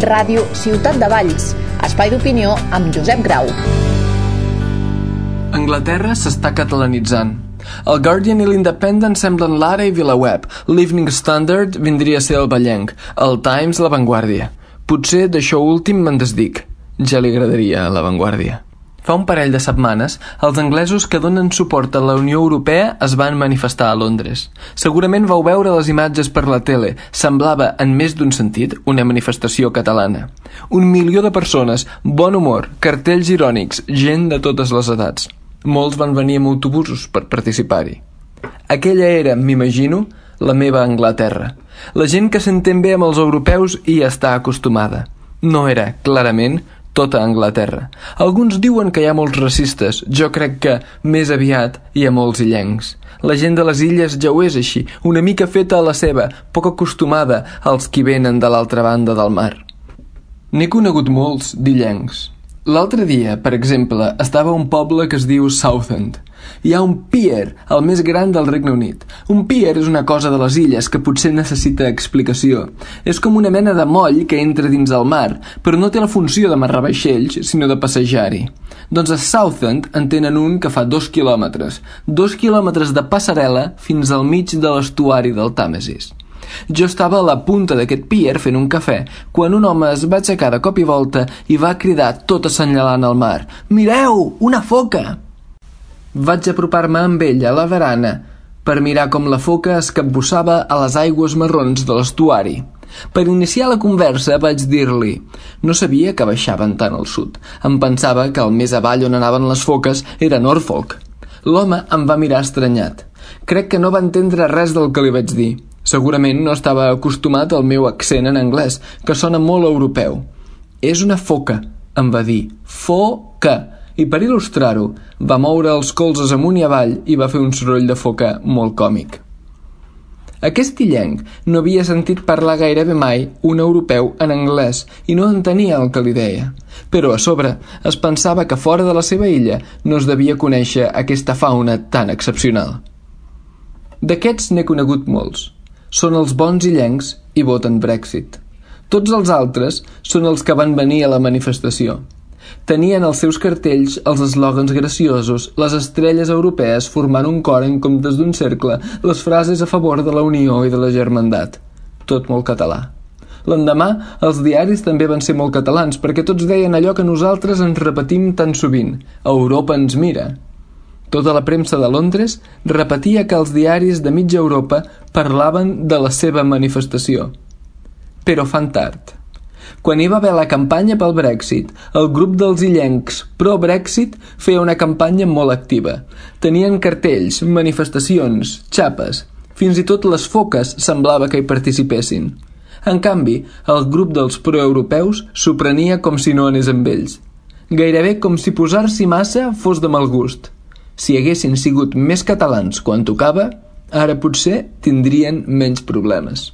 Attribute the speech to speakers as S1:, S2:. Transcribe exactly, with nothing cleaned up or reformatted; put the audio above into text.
S1: Ràdio Ciutat de Valls, espai d'opinió amb Josep Grau.
S2: Anglaterra s'està catalanitzant. El Guardian i l'Independent semblen l'Ara i VilaWeb, l'Evening Standard vindria a ser el Vallenc, el Times La Vanguardia. Potser d'això últim me'n desdic. Ja li agradaria a La Vanguardia. Fa un parell de setmanes, els anglesos que donen suport a la Unió Europea es van manifestar a Londres. Segurament vau veure les imatges per la tele. Semblava, en més d'un sentit, una manifestació catalana. Un milió de persones, bon humor, cartells irònics, gent de totes les edats. Molts van venir amb autobusos per participar-hi. Aquella era, m'imagino, la meva Anglaterra. La gent que s'entén bé amb els europeus hi està acostumada. No era, clarament, tota Anglaterra. Alguns diuen que hi ha molts racistes. Jo crec que, més aviat, hi ha molts illencs. La gent de les illes ja ho és així, una mica feta a la seva, poc acostumada als qui venen de l'altra banda del mar. N'he conegut molts d'illencs. L'altre dia, per exemple, estava a un poble que es diu Southend. Hi ha un pier, el més gran del Regne Unit. Un pier és una cosa de les illes que potser necessita explicació. És com una mena de moll que entra dins el mar, però no té la funció d'amarrar vaixells, sinó de passejar-hi. Doncs a Southend en tenen un que fa dos quilòmetres. Dos quilòmetres de passarel·la fins al mig de l'estuari del Tàmesis. Jo estava a la punta d'aquest pier fent un cafè, quan un home es va aixecar de cop i volta i va cridar tot assenyalant el mar: «Mireu, una foca!» Vaig apropar-me amb ell a la barana per mirar com la foca es capbussava a les aigües marrons de l'estuari. Per iniciar la conversa vaig dir-li: «No sabia que baixaven tant al sud. Em pensava que el més avall on anaven les foques era Norfolk». L'home em va mirar estranyat. Crec que no va entendre res del que li vaig dir. Segurament no estava acostumat al meu accent en anglès, que sona molt europeu. «És una foca», em va dir. «Foca». I per il·lustrar-ho, va moure els colzes amunt i avall i va fer un soroll de foca molt còmic. Aquest illenc no havia sentit parlar gairebé mai un europeu en anglès i no entenia el que li deia. Però a sobre es pensava que fora de la seva illa no es devia conèixer aquesta fauna tan excepcional. D'aquests n'he conegut molts. Són els bons illencs i voten Brexit. Tots els altres són els que van venir a la manifestació. Tenien als seus cartells els eslògans graciosos, les estrelles europees formant un cor en comptes d'un cercle, les frases a favor de la unió i de la germandat. Tot molt català. L'endemà, els diaris també van ser molt catalans, perquè tots deien allò que nosaltres ens repetim tan sovint: «Europa ens mira». Tota la premsa de Londres repetia que els diaris de mitja Europa parlaven de la seva manifestació. Però fan tard. Quan hi va haver la campanya pel Brexit, el grup dels illencs pro-Brexit feia una campanya molt activa. Tenien cartells, manifestacions, xapes. Fins i tot les foques semblava que hi participessin. En canvi, el grup dels proeuropeus s'ho prenia com si no anés amb ells. Gairebé com si posar-s'hi massa fos de mal gust. Si haguessin sigut més catalans quan tocava, ara potser tindrien menys problemes.